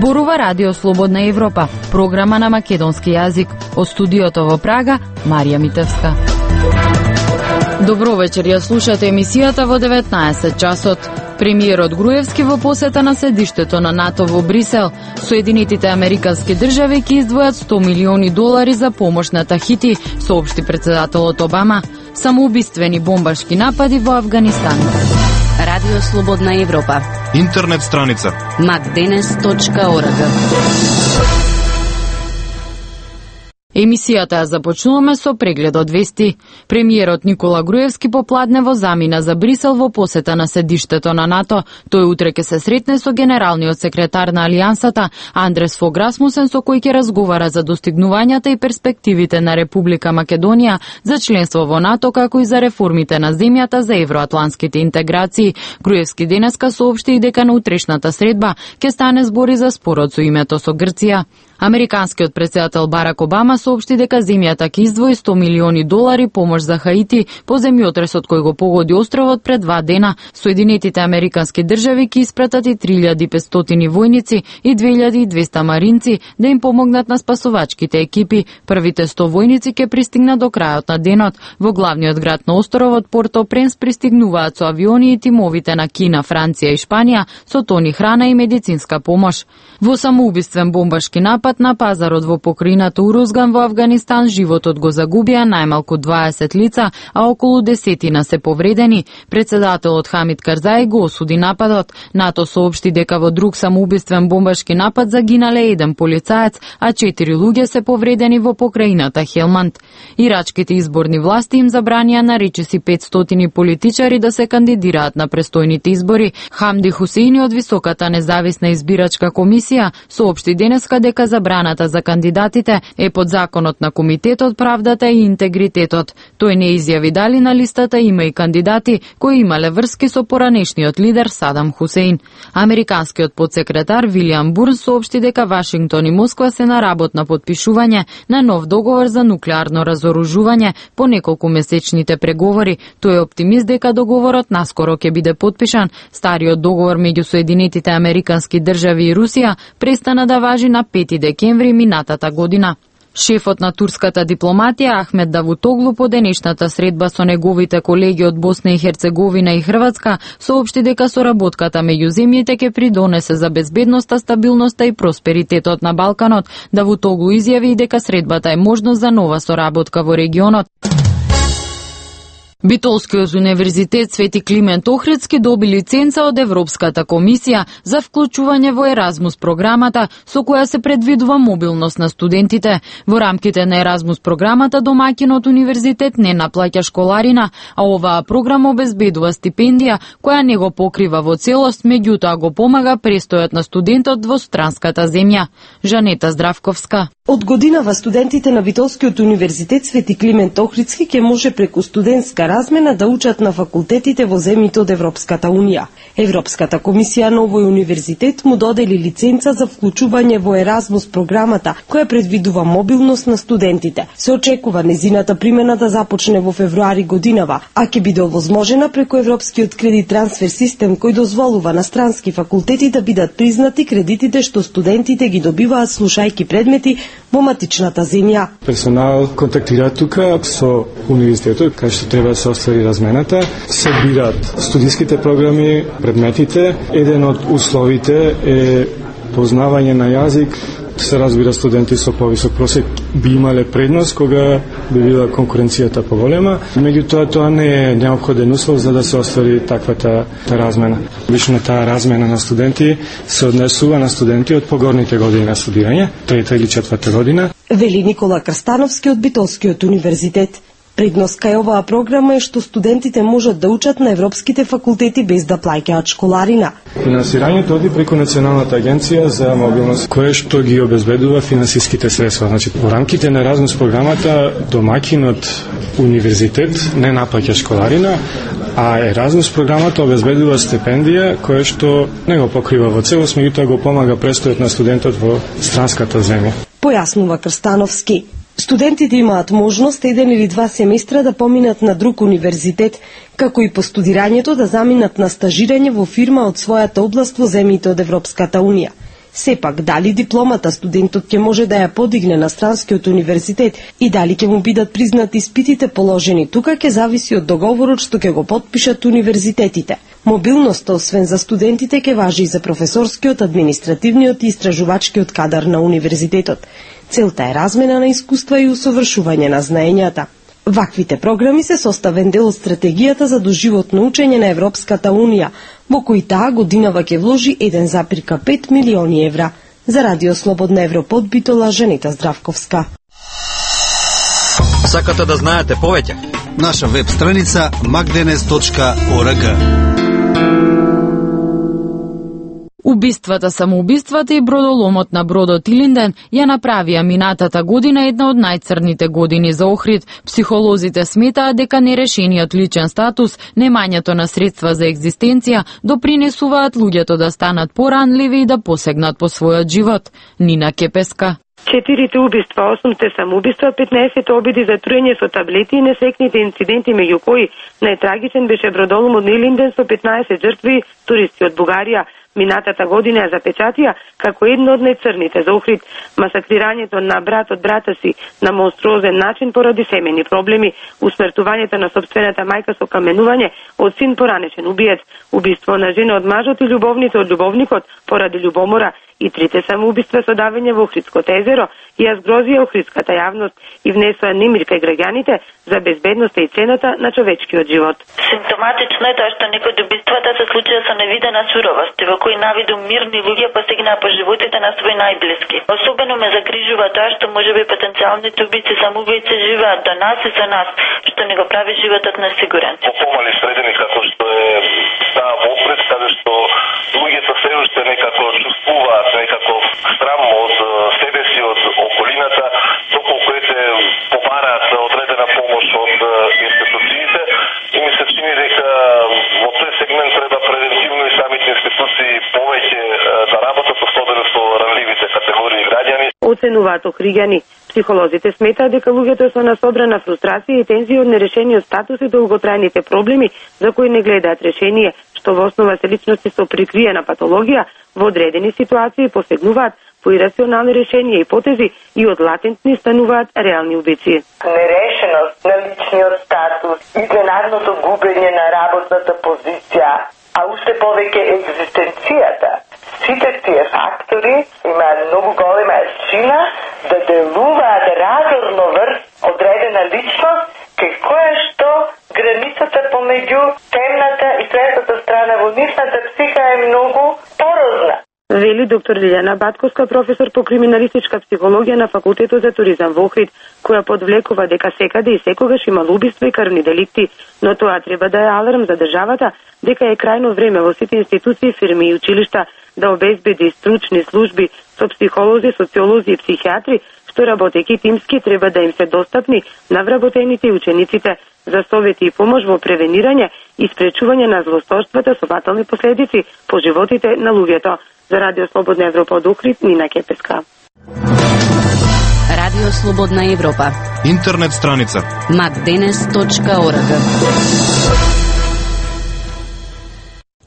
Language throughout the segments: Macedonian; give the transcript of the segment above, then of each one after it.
Зборува Радио Слободна Европа, програма на македонски јазик. Од студиото во Прага, Марија Митевска. Добро вечер, ја слушате емисијата во 19 часот. Премиерот Груевски во посета на седиштето на НАТО во Брисел. Соединетите американски држави ќе издвојат $100 милиони за помош на Тахити, соопшти председателот Обама. Самоубиствени бомбашки напади во Авганистан. Радио Слободна Европа. Интернет страница macdenes.org. Емисијата ја започнуваме со преглед од вести. Премиерот Никола Груевски попладнево замина за Брисел во посета на седиштето на НАТО. Тој утре ќе се сретне со генералниот секретар на Алијансата Андрес Фог Расмусен, со кој ќе разговара за достигнувањата и перспективите на Република Македонија за членство во НАТО, како и за реформите на земјата за евроатлантските интеграции. Груевски денеска соопшти и дека на утрешната средба ќе стане збори за спорот со името со Грција. Американскиот председател Барак Обама соопшти дека земјата ќе издвои $100 милиони помош за Хаити по земјотресот кој го погоди островот пред 2 дена. Соединетите американски држави ќе испратат и 3500 војници и 2200 маринци да им помогнат на спасувачките екипи. Првите 100 војници ќе пристигнат до крајот на денот. Во главниот град на островот Порто-Пренс пристигнуваат со авиони и тимовите на Кина, Франција и Шпанија со тони храна и медицинска помош. Во самоубиствен бомбашки напад на пазарот во покрајината Урузган во Авганистан животот го загубија најмалку 20 лица, а околу 10 се повредени. Председателот Хамид Карзаи го осуди нападот. НАТО соопшти дека во друг самоубиствен бомбашки напад загинале 1 полицаец, а 4 луѓе се повредени во покрајината Хелманд. Ирачките изборни власти им забранија на речиси 500 политичари да се кандидираат на престојните избори. Хамди Хусеини од Високата независна избирачка комисија соопшти денеска дека забраната за кандидатите е под законот на Комитетот, правдата и интегритетот. Тој не изјави дали на листата има и кандидати кои имале врски со поранешниот лидер Садам Хусеин. Американскиот подсекретар Вилијам Бурн соопшти дека Вашингтон и Москва се на работ на потпишување на нов договор за нуклеарно разоружување по неколку месечните преговори. Тој е оптимист дека договорот наскоро ќе биде потпишан. Стариот договор меѓу Соединетите американски држави и Русија престана да важи на 5 декември минатата година. Шефот на турската дипломатија Ахмед Давутоглу по денешната средба со неговите колеги од Босна и Херцеговина и Хрватска соопшти дека соработката меѓу земјите ќе придонесе за безбедноста, стабилноста и просперитетот на Балканот. Давутоглу изјави и дека средбата е можност за нова соработка во регионот. Битолскиот универзитет Свети Климент Охридски доби лиценца од Европската комисија за вклучување во Еразмус програмата, со која се предвидува мобилност на студентите. Во рамките на Еразмус програмата домаќинот универзитет не наплаќа школарина, а оваа програма обезбедува стипендија која не го покрива во целост, меѓутоа го помага престојот на студентот во странската земја. Жанета Здравковска. Од годинава студентите на Битолскиот универзитет Свети Климент Охридски ќе може преку студентска размена да учат на факултетите во земјите од Европската унија. Европската комисија на овој универзитет му додели лиценца за вклучување во Еразмус програмата, која предвидува мобилност на студентите. Се очекува незината примена да започне во февруари годинава, а ќе биде овозможена преку Европскиот кредит трансфер систем кој дозволува на странски факултети да бидат признати кредитите што студентите ги добиваат слушајки предмети во матичната земја. Персонал контактира тука со универзитетот, кај што треба да се оствари размената, се бираат студиските програми, предметите. Еден од условите е познавање на јазик. Се разбира, студенти со повисок просек би имале предност кога би била конкуренцијата поголема. Меѓутоа, тоа не е неопходен услов за да се оствари таквата размена. Обично таа размена на студенти се однесува на студенти од погорните години на студирање, 3-та или 4-та година. Вели Никола Крстановски од Битолскиот универзитет. Предност кај оваа програма е што студентите можат да учат на европските факултети без да плаќаат школарина. Финансирањето оди преку Националната агенција за мобилност, која што ги обезбедува финансиските средства. Значи, во рамките на Еразмус програмата домаќинот универзитет не наплаќа школарина, а Еразмус програмата обезбедува стипендија која што не го покрива во целост, меѓутоа го помага престојот на студентот во странската земја. Појаснува Крстановски. Студентите имаат можност 1 или 2 семестра да поминат на друг универзитет, како и по студирањето да заминат на стажирање во фирма од својата област во земјите од Европската унија. Сепак, дали дипломата студентот ќе може да ја подигне на странскиот универзитет и дали ќе му бидат признати испитите положени тука ќе зависи од договорот што ќе го потпишат универзитетите. Мобилноста, освен за студентите, ќе важи и за професорскиот, административниот и истражувачкиот кадар на универзитетот. Целта е размена на искуства и усовршување на знаењата. Ваквите програми се составен дел од стратегијата за доживотно учење на Европската Унија, во кој таа годинава ќе вложи 1,5 милиони евра. За Радио Слободна Европа од Битола, Жанета Здравковска. Сакате да знаете повеќе? Наша веб страница magdenes.org. Убиствата, самоубиствата и бродоломот на бродот Илинден ја направија минатата година една од најцрните години за Охрид. Психолозите сметаат дека нерешениот личен статус, немањето на средства за екзистенција допринесуваат луѓето да станат поранливи и да посегнат по својот живот. Нина Кепеска. 4 убиства, 8 самоубиства, 15 обиди за труење со таблети и несекните инциденти, меѓу кои најтрагичен беше бродоломот на Илинден со 15 жртви, туристи од Бугарија. Минатата година ја запечатија како едно од најцрните за Охрид. Масакрирањето на брат од брата си на монструозен начин поради семени проблеми, усмртувањето на собствената мајка со каменување од син поранешен убиец, убиство на жена од мажот и љубовница од љубовникот поради љубомора и 3 самоубиства со давење во Охридското езеро ја згрозија охридската јавност и внесоа немир кај граѓаните за безбедноста и цената на човечкиот живот. Симптоматично е тоа што некои од убиствата се случија со невидена суровост, во кои навиду мирни луѓе постигнаа по животите на своји најблиски. Особено ме загрижува тоа што можеби потенцијалните убици самоубијци живеат до нас и со нас, што не го прави животот несигурен. По помали средини како што е таа во Охрид, каде што луѓето се уште некако чувствуваат некаков срам од себе си, од околината, доколку побараат одредена помош од институциите, и ми се чини дека во тој сегмент треба превентивно и самите институции повеќе да работат, особено со ранливите категории граѓани. Оценуваат охриѓани. Психолозите сметаат дека луѓето со насобрана фрустрација и тензија од нерешениот статус и долготрајните проблеми за кои не гледаат решение, што во основа се личности со прикриена патологија, во одредени ситуации посегнуваат по ирационални решенија и потези и од латентни стануваат реални убици. Нерешеност на личниот статус, изненадното губење на работната позиција, а уште повеќе екзистенцијата. Сите тие фактори имаат многу голема сила да делуваат разорно врз одредена личност, кај која што границата помеѓу темната и светлата страна во нивната психа е многу порозна. Вели доктор Лилјана Батковска, професор по криминалистичка психологија на Факултетот за туризам во Охрид, која подвлекува дека секаде и секогаш има убиства и крвни деликти, но тоа треба да е аларм за државата дека е крајно време во сите институции, фирми и училишта да обезбеди стручни служби со психолози, социолози и психијатри, што работејќи тимски треба да им се достапни на вработените и учениците за совети и помош во превенирање и спречување на злосторствата со фатални последици по животите на луѓето. За Радио Слободна Европа од Охрид, Нина Кепеска. Радио Слободна Европа. Интернет страница magdenes.org.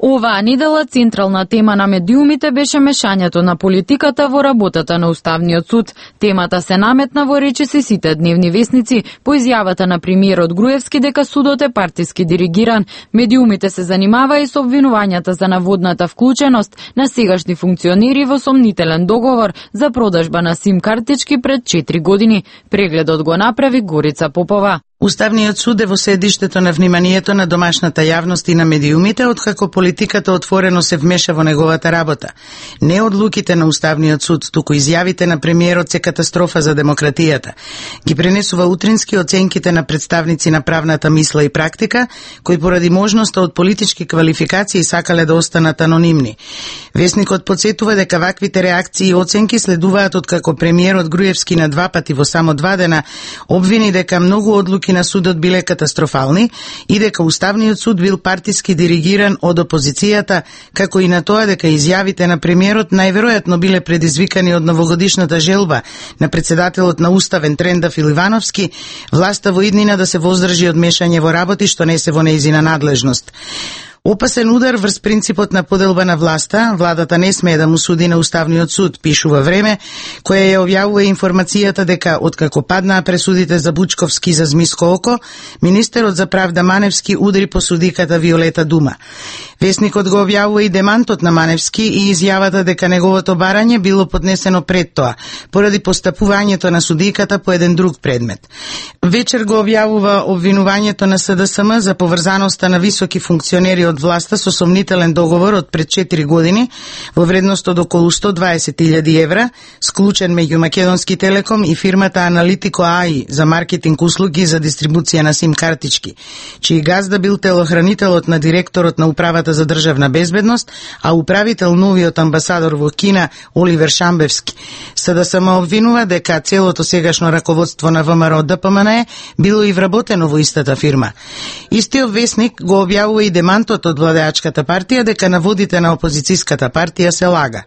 Оваа недела централна тема на медиумите беше мешањето на политиката во работата на Уставниот суд. Темата се наметна во речиси сите дневни весници по изјавата на премиерот Груевски дека судот е партиски диригиран. Медиумите се занимава и со обвинувањата за наводната вклученост на сегашни функционери во сомнителен договор за продажба на сим картички пред 4 години. Прегледот го направи Горица Попова. Уставниот суд е во седиштето на вниманието на домашната јавност и на медиумите, откако политиката отворено се вмеша во неговата работа. Не одлуките на Уставниот суд, туку изјавите на премиерот се катастрофа за демократијата. Ги пренесува утрински оценките на представници на правната мисла и практика, кои поради можноста од политички квалификации сакале да останат анонимни. Весникот подсетува дека ваквите реакции и оценки следуваат откако премиерот Груевски на 2 пати во само 2 дена обвини дека многу одлуки на судот биле катастрофални и дека Уставниот суд бил партиски диригиран од опозицијата, како и на тоа дека изјавите на премиерот најверојатно биле предизвикани од новогодишната желба на председателот на Уставен Тренда Филивановски, власта во иднина да се воздржи од мешање во работи што не се во нејзина надлежност. Опасен удар врз принципот на поделба на власта, владата не смее да му суди на Уставниот суд, пишува Време, која ја објавува информацијата дека откако паднаа пресудите за Бучковски за Змиско око, министерот за правда Маневски удри по судиката Виолета Дума. Весникот го објавува и демантот на Маневски и изјавата дека неговото барање било поднесено пред тоа, поради постапувањето на судиката по еден друг предмет. Вечер го објавува обвинувањето на СДСМ за поврзаноста на високи функционери од власта со сомнителен договор од пред 4 години во вредност од околу 120.000 евра, склучен меѓу Македонски Телеком и фирмата Аналитико АИ за маркетинг услуги за дистрибуција на сим картички, чиј газда бил телохранителот на директорот на Управата за државна безбедност, а управител новиот амбасадор во Кина Оливер Шамбевски. СДСМ обвинува дека целото сегашно раководство на ВМРО ДПМНЕ било и вработено во истата фирма. Истиот весник го објавува и демантот од владеачката партија дека наводите на опозицијската партија се лага.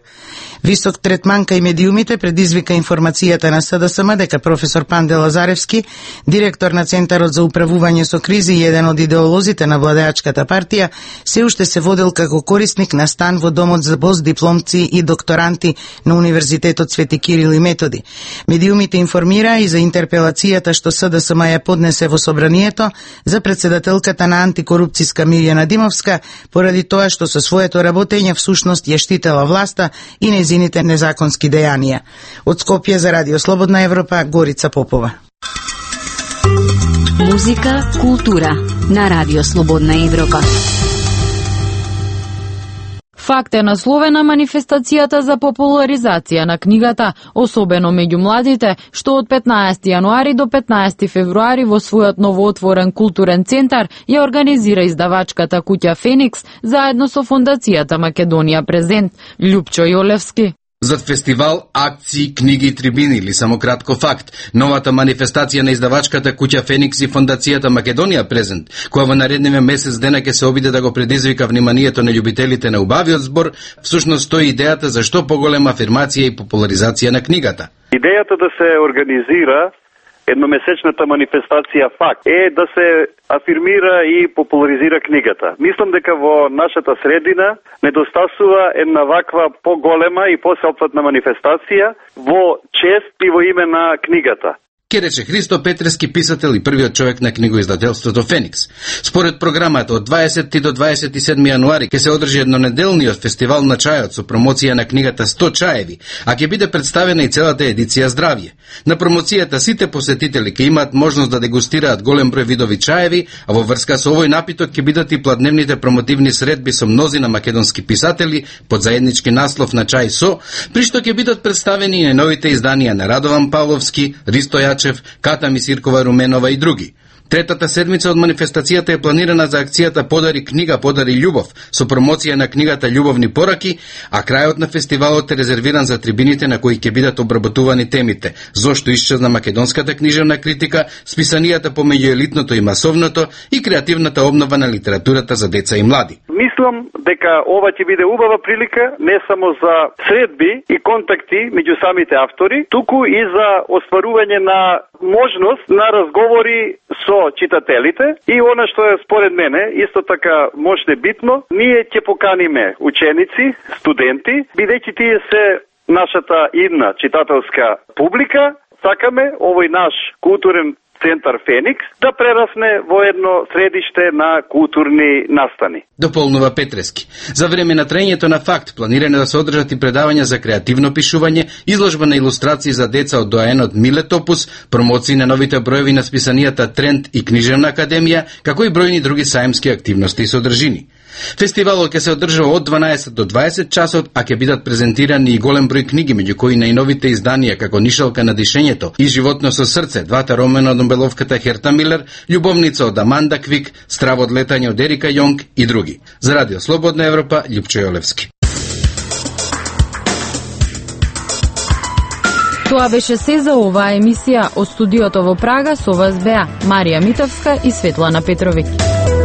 Висок третман кај медиумите предизвика информацијата на СДСМ дека професор Панде Лазаревски, директор на Центарот за управување со кризи и еден од идеолозите на владеачката партија, се уште се водел како корисник на стан во домот за постдипломци и докторанти на Универзитетот Свети Кирил и Методи. Медиумите информира и за интерпелацијата што СДСМ ја поднесе во собранието за председателката на антикорупцијска Мирјана Димовска, поради тоа што со своето работење всушност ја штитела власта и незините незаконски дејанија. Од Скопје за Радио Слободна Европа, Горица Попова. Музика, култура на Радио Слободна Европа. Факт е насловена манифестацијата за популаризација на книгата, особено меѓу младите, што од 15 јануари до 15 февруари во својот новоотворен културен центар ја организира издавачката куќа Феникс заедно со фондацијата Македонија Презент. Љупчо Јолевски. Зад фестивал, акции, книги и трибини или само кратко факт, новата манифестација на издавачката куќа Феникс и фондацијата Македонија Презент, која во наредниве месец дена ќе се обиде да го предизвика вниманието на љубителите на убавиот збор, всушност стои идејата за што поголема афирмација и популаризација на книгата. Идејата да се организира едномесечната манифестација факт е да се афирмира и популаризира книгата. Мислам дека во нашата средина недостасува една ваква поголема и посеопфатна манифестација во чест и во име на книгата. Ке рече Христо Петрески, писател и првиот човек на книгоиздателството Феникс. Според програмата од 20 до 27 јануари ќе се одржи еднонеделниот фестивал на чајот со промоција на книгата 100 чаеви, а ќе биде представена и целата едиција Здравје. На промоцијата сите посетители ќе имаат можност да дегустираат голем број видови чаеви, а во врска со овој напиток ќе бидат и пладневните промотивни средби со мнозина македонски писатели под заеднички наслов на чај со, при што ќе бидат представени и новите изданија на Радован Павловски, Ристо Јачев, Ката Мисиркова Руменова и други. Третата седмица од манифестацијата е планирана за акцијата Подари книга, подари љубов, со промоција на книгата Љубовни пораки, а крајот на фестивалот е резервиран за трибините на кои ќе бидат обработувани темите: зошто исчезна македонската книжевна критика, списанијата помеѓу елитното и масовното и креативната обнова на литературата за деца и млади. Мислам дека ова ќе биде убава прилика не само за средби и контакти меѓу самите автори, туку и за остварување на можност на разговори со читателите и она што е според мене исто така може битно, ние ќе поканиме ученици, студенти, бидејќи тие се нашата идна читателска публика, сакаме овој наш културен центар Феникс да прерасне во едно средиште на културни настани. Дополнува Петрески. За време на траењето на факт планирано да се одржат и предавања за креативно пишување, изложба на илустрации за деца од доаенот Миле Топус, промоции на новите броеви на списанијата Тренд и Книжевна академија, како и бројни други саемски активности и содржини. Фестивалот ќе се одржува од 12 до 20 часот, а ќе бидат презентирани и голем број книги, меѓу кои најновите изданија како Нишалка на дишењето и Животно со срце, двата романа од нобеловката Херта Милер, Љубовница од Аманда Квик, Страво од летање од Ерика Јонг и други. За Радио Слободна Европа, Љупчо Јолевски. Тоа беше се за оваа емисија од студиото во Прага со вас беа Марија Митовска и Светлана Петровиќ.